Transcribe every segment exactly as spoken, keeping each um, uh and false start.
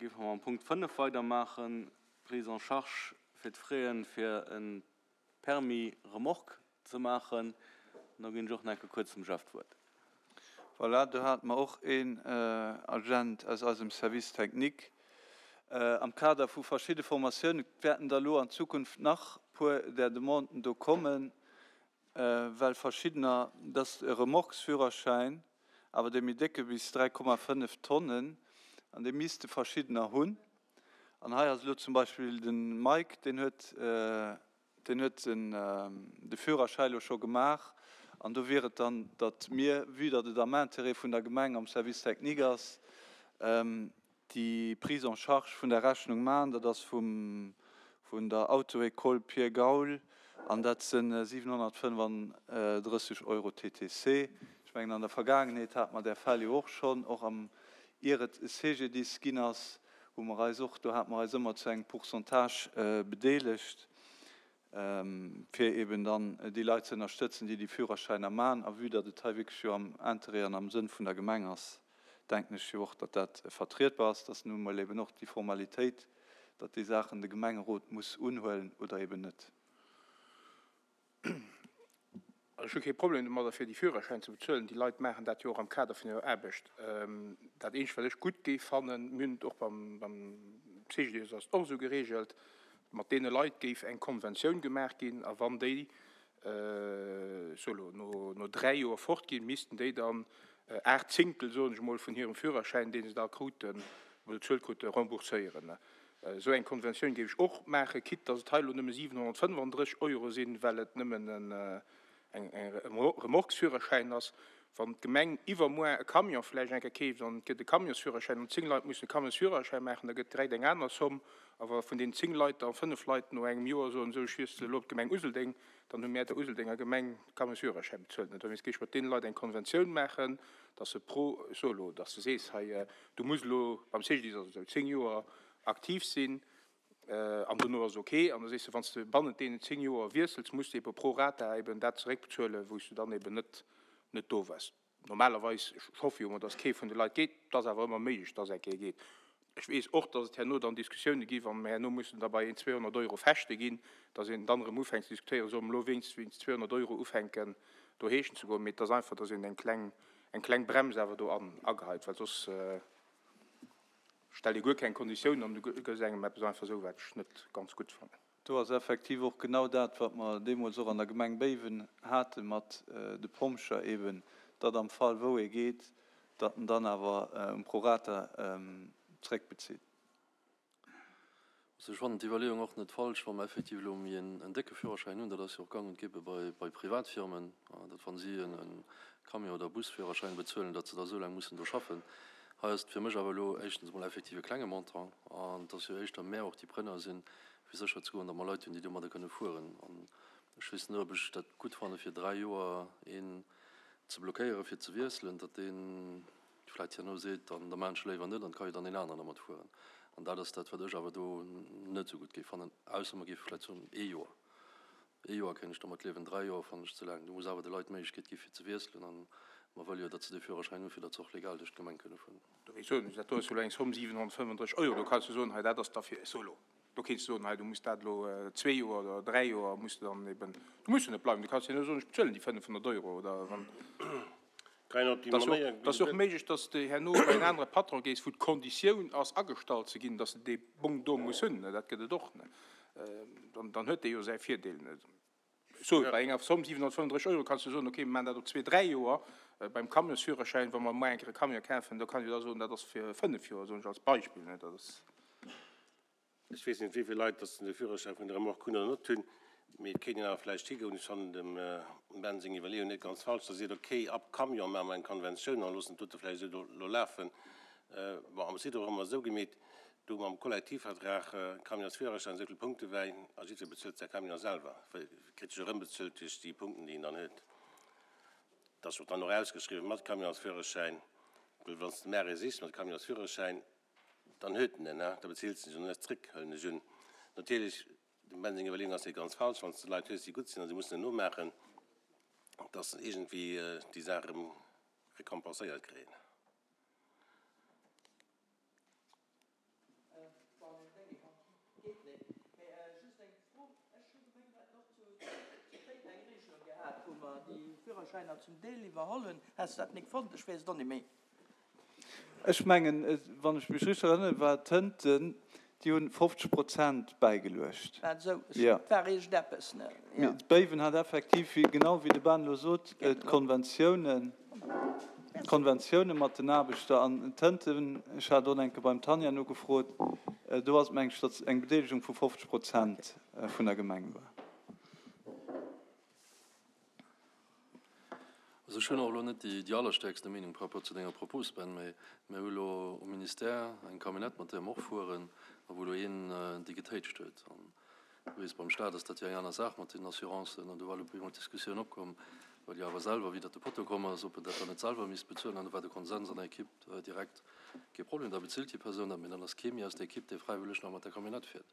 Géife mer mam Punkt fënnef weidermaachen, Prise en charge fir d'Fraie fir e Permis remorque ze maachen. An da ginn ech och nach eng Kéier kuerz dem Jeff d'Wuert. Voilà, do hate mer och een Agent aus eisem Service technique. Am Kader vu verschidde Formatiounen wäerten der elo an Zukunft nach puer där Demanden do kommen, well verschiddener, dass e Remorquesführerschäin, awer dee méi décke bis dräi Komma fënnef Tonnen, an dee misste verschiddener hunn. An hei ass elo zum Beispill de Mike, deen huet, deen huet den, de Führerschäi elo scho gemaach. An do wier et dann, datt mir, vue datt et am Intérêt vun der Gemeng am Service technique ass, déi Prise en charge vun der Rechnung maachen. Dat ass vum, vun der Auto-École Pierre Gaul an dat si siwenhonnertfënnefandrësseg Euro T T C. Ech mengen, an der Vergaangenheet hate mer där Fäll jo och schonn, och am, ier et e C G D I S ginn ass, hu mer eis och, do hate mer eis ëmmer zu engem Pourcentage bedeelegt, fir eben dann déi Leit ze ënnerstëtzen, déi déi Führerschäiner maachen. A vue datt et hei wierklech jo am Interêt an am Sënn vun der Gemeng ass, denken ech jo och, datt dat vertrietbar ass, datt nun emol eben och déi Formalitéit, datt déi Saachen de Gemengerot muss unhuelen oder eben net. Ech hu kee Problem domadder, fir déi Führerschäin ze bezuelen. Déi Leit maachen dat jo och am Kader vun hirer Aarbecht. Dat Eenzegt, wat ech gutt géif fannen, mir hunn et och beim C G D I S ass et och esou geregelt, mat deene Leit géif eng Konventioun gemaach ginn, a wann déi sou elo no dräi Joer fortginn, missten déi dann aacht Zéngtel, soen ech emol, vun hirem Führerschäin, dee se da kruten, bezuelt kruten, rembourséieren. Esou eng Konventioun géif ech och maachen, quitte dass et hei elo nëmme siwenhonnertfënnefandrësseg Euro sinn, well et nëmmen en Remorquesführerschäin ass. Wann d'Gemeng iwwermuer e Camion vläicht eng Kéier keeft an et gëtt e Camionsführerschäin an zéng Leit mussen e Camionsführerschäin maachen, da gëtt direkt eng aner Somm. A wa vun deenen zéng Leit da fënnef Leit no engem Joer soen, esou ech wiessele elo op d'Gemeng Useldeng, dann hu mär der Useldenger Gemeng de Camionsführerschäin bezuelt. Dowéinst géif ech mat deene Leit eng Konventioun maachen, dass se pro, ech soe elo, dass de sees, hei du muss elo beim C G D I S ass et esou, zéng Joer aktiv sinn an dono ass ok. An da sees de, wann s de bannent deenen zéng Joer wiessels, muss de ebe pro rata eben dat zeréckbezuelen, wou s du dann eben net net do waars. Normalerweis, ech hoffe jo emol, dass kee vun de Leit geet, et ass awer ëmmer méiglech, dass eng Kéier geet. Ech weess och, dass et herno dann Diskussioune gi wa mer herno mussen da bei een zweehonnert Euro fechte ginn, dass een dann erëm ufänkt ze diskutéieren, solle mer elo wéinst wéinst zweehonnert Euro ufänken do heeschen ze goen. Mee et ass einfach, dass een eng kleng eng kleng Brems awer do an ageheit, well soss stellt ee guer keng Konditiounen an du gëss engem eppes einfach esou, wat ech net ganz gutt fannen. Do ass effektiv och genau dat, wat mer deemools och an der Gemeng Béiwen hate mat de Pompjer eben, datt am Fall wou ee geet, datt en dann awer um Prorata zréckbezitt. Also ech fannen d'Iwwerleeung och net falsch, wa mer effektiv elo méi en décke Führerschäin hunn, dat ass jo och gang und gäbe bei bei Privatfirmen, datt wa si en Camion oder Busführerschäin bezuelen, datt se da esou laang mussen do schaffen. Hei ass et fir mech awer elo éischtens emol effektiv e klenge Montant an et ass jo éischter mär och déi Preneur sinn, fir sécher ze goen, datt mer Leit hunn, déi domadder kënne fueren. An ech weess net, ob ech dat gutt fanne fir dräi Joer een ze blockéieren, fir ze wiesselen, datt dee vläicht herno seet, dann da maachen ech léiwer net an et ka jo dann een aneren dermat fueren. An dat ass dat, wat ech awer do net esou gutt géif fannen, ausser mer géife vläicht soen, ee Joer. Ee Joer kéint ech dermat liewen, dräi Joer fannen ech ze laang. Do muss awer de Leit d'Méiglechkeet gi fir ze wiesselen an mer wëlle jo, datt se dee Führerschäin hunn, fir datt se och legal duerch d'Gemeng kënne fueren. Do wéi soen ech, dat do ass jo elo eng Somm siwenhonnertfënnefandrësseg Euro, do kanns du soen, hei dat ass da fir solo. Do kéints du soen, hei du muss dat elo zwee Joer oder dräi Joer muss du dann eben, du muss jo net bleiwen, du kanns jo soen, ech bezuelen déi fënnefhonnert Euro oder wann. Et ass jo och méiglech, datt s de herno bei en anere Patron gees, wou d'Konditioun ass agestallt ze ginn, datt s de dee Bong do muss hunn. Dat gëtt et och. Dann, dann huet dee jo säi Virdeel. Sou, bei enger Somm siwenhonnertfënnefandrësseg Euro kanns du soen, okay, mir maachen dat op zwee, dräi Joer. Beim Camionsführerschäin, wa mer muer eng Kéier e Camion kafen, do kann ech da soen, dat ass fir fënnef Joer, soen ech als Beispill. Dat ass. Ech weess net, wéi vill Leit dass de Führerschäin vun der Remorque hunn oder net hunn, mee et kéint een awer vläicht higoen. Ech fannen dem Ben seng Iwwerleeung net ganz falsch, dass e seet, okay, ab Camion maache mer eng Konventioun a loossen d'Dote vläicht esou do lafen. Bon, am Prinzip hu mer esou gemeet, do mam Kollektivvertrag, Camionsführerschäin, esou vill Punkte wäin a jiddwer bezuelt säi Camion selwer, kritt sech erëmbezuelt duerch déi Punkten, déi en dann huet. Dat ass och dann och ausgeschriwwen mat Camionsführerschäin, well wann s de Maire sichs mat Camionsführerschäin, dann huet en en, da bezilt en sech an net zréck, huelen ech un. Natierlech, dem Ben seng Iwwerleeung ass net ganz falsch, wann s de Leit hues, déi gutt sinn a se mussen en nomaachen, dass se iergendwéi déi Saach erëm récompenséiert kréien. geet net. Mee just eng Fro, Ech hu gemengt, mir hätten och zu Téiteng eng Regelung gehat, wou mer déi Führerschäiner zum Deel iwwerholl hunn. Has de dat nik fonnt? Ech weess et och net méi. Ech mengen, wann ech mech richteg erënneren, war et Tënten, déi hunn fofzeg Prozent bäigeluecht. War et esou? Et war iergendeppes, ne? Jo. Béiwen hat effektiv, wéi genau wéi de Ben elo sot, d'Konventiounen, d'Konventiounen mat den Aarbechter. An Tënten, ech hat och eng Kéier beim Tanja nogefrot, do ass et, meng ech, datt eng Bedeelegung vu fofzeg Prozent vun der Gemeng war. Also ech hunn och elo net déi allerstäerkste Meenung par rapport zu denger Propos, Ben, mä mir hu elo um Ministère eng Camionnette, mat där mer och fueren a wou elo een déi getéitscht huet. An du weess, beim Stat ass dat jo eng aner Saach mat den Assurancen. An do war elo op eemol d'Diskussioun opkomm, well jo awer selwer widder de Potto komm ass, ob en dat dann net selwer misst bezuelen. An do war de Konsens an der Equipe direkt, Kee Problem, da bezilt déi Persoun dat, mä dann ass kee méi aus der Equipe, dee fräiwëlleg nach mat der Camionnette fiert.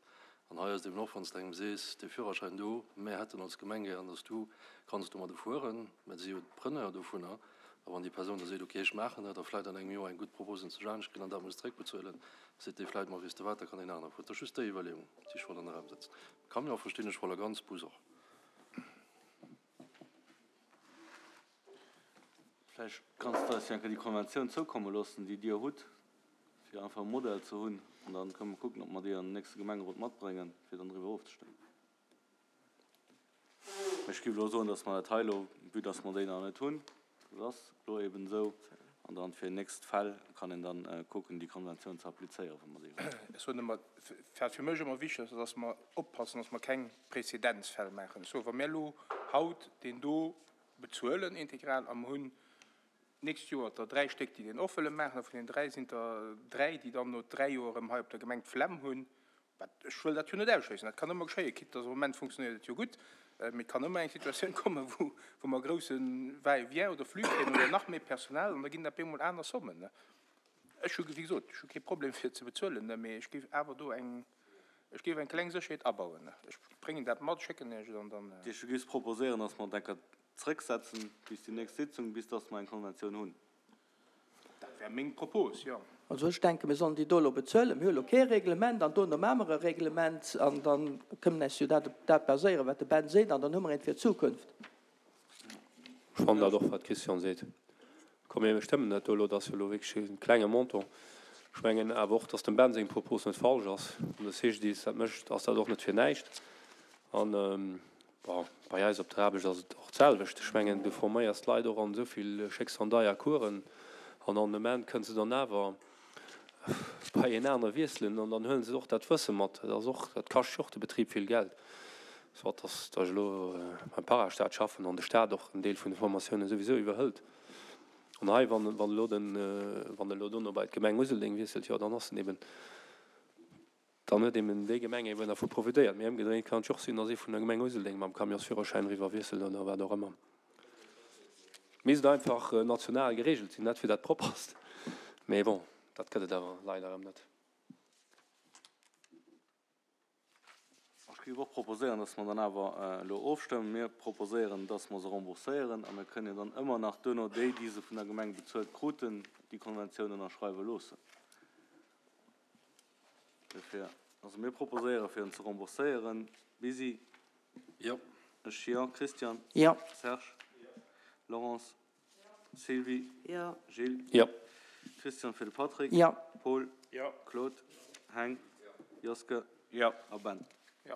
An hei ass et eben och, wann s de engem sees, dee Führerschäin do, mär hätten als Gemeng gären, dass du kanns domadde fueren, mä si jo d'Preneur dovunner, a wann déi Persoun da seet, okay, ech maachen dat, a vläicht an engem Joer eng gutt Propos un sech anescht kritt an dat muss zréckbezuelen, seet dee vläicht, ma weess de wat, da kann een aner fueren. Et ass just déi Iwwerleeung, déi ech wollt an de Raum setzen. Camion verstinn ech voll a ganz, Bus och. Vläicht kanns de eis jo eng Kéier déi Konventioun zoukomme loossen, déi Dir hutt, fir einfach e Modell ze hunn, an da kënne mer kucken, ob mer déi an den nächste Gemengerot matbréngen, fir dann driwwer ofzestëmmen. Mee ech géif elo soen, dass mer dat hei elo, vue dass mer déi nach net hunn, dat ass elo eben esou, an dann fir nächst Fäll kann een dann kucken, déi Konventioun ze applizéieren, wa mer déi hunn. Ech soen ëmmer, wat fir mech ëmmer wichteg ass, ass, dass mer oppassen, dass mer keng Präzedenzfäll maachen. Ech soen, wa mir elo haut deen do bezuelen integral a mer hunn d'nächst Joer der dräi Stéck, déi deen och wëlle maachen, a vun deenen dräi sinn der dräi, déi dann no dräi Joer erëm hei op der Gemeng d'Flemm hunn, wat, ech wëll dat jo net ausschléissen, dat kann ëmmer geschéien, quitte dass am Moment funktionéiert et jo gutt, mee et kann ëmmer eng Situatioun kommen, wou, wou mer e grousse Va-et-vient oder Flux kréien oder nach méi Personal an da ginn dat op eemol aner Sommen. Ech hu, wéi gesot, ech hu kee Problem fir ze bezuelen, mee ech géif awer do eng, ech géif eng kleng Sécherheet abauen. Ech bréngen dat mat, schécken Iech et an dann. Ech géif proposéieren, dass mer et enker zrëcksetzen bis déi nächst Sitzung, bis dass mer eng Konventioun hunn. Dat wär meng Propos, jo. Also ech denken, mir sollen déi do elo bezuelen. Mir hu elo kee Reglement an dono maache mer e Reglement an da kënnen mer eis jo dat op dat baséieren, wat de Ben seet, an dann hu mer eent fir d'Zukunft. Ech fannen dat och, wat d'Christiane seet. Komm, mir stëmmen dat do elo. Dat ass jo elo wierklech e klenge Montant. Ech mengen awer och, dass dem Ben seng Propos net falsch ass. Wann de C G D I S dat mécht, ass dat och net fir näischt. An, bon, bei eis op der Aarbecht ass et och d'selwecht. Ech mengen, du forméiers d'Leit och an esou vill schécks an deier Coursen an an um Enn kënne se dann awer bei een aner wiesselen an dann huele se och dat Wësse mat. Dat ass och, dat kascht jo och de Betrib vill Geld. Soit dass ech elo beim Parastaat schaffen an de Staat och en Deel vun de Formatiounen souwisou iwwerhëlt. An hei, wann wann elo den, wann elo dono bei d'Gemeng Useldeng wiesselt, jo dann ass en eben, dann huet eben déi Gemeng eben dervu profitéiert. Mee ëmgedréint kann et jo och sinn, dass ee vun der Gemeng Useldeng mam Camionsführerschäin eriwwer wiesselt oder wat och ëmmer. Misst einfach national geregelt sinn, net fir dat Propperst. Mee bon, dat gëtt et awer leider erëm net. Ech géif och proposéieren, dass mer dann awer elo ofstëmmen. Mir proposéieren, dass mer se rembourséieren a mir kënnen jo dann ëmmer nach duerno déi, déi se vun der Gemeng bezuelt kruten, déi Konventioun ënnerschreiwe loossen. Dofir, also mir proposéiere fir en ze rembourséieren. Bisi? Jo. Ech jo. Christian? Jo. Serge? Laurence? Sylvie? Jo. Gilles? Jo. Christian fir de Patrick? Jo. Paul? Jo. Claude? Heng? Joske? Jo. A Ben? Jo.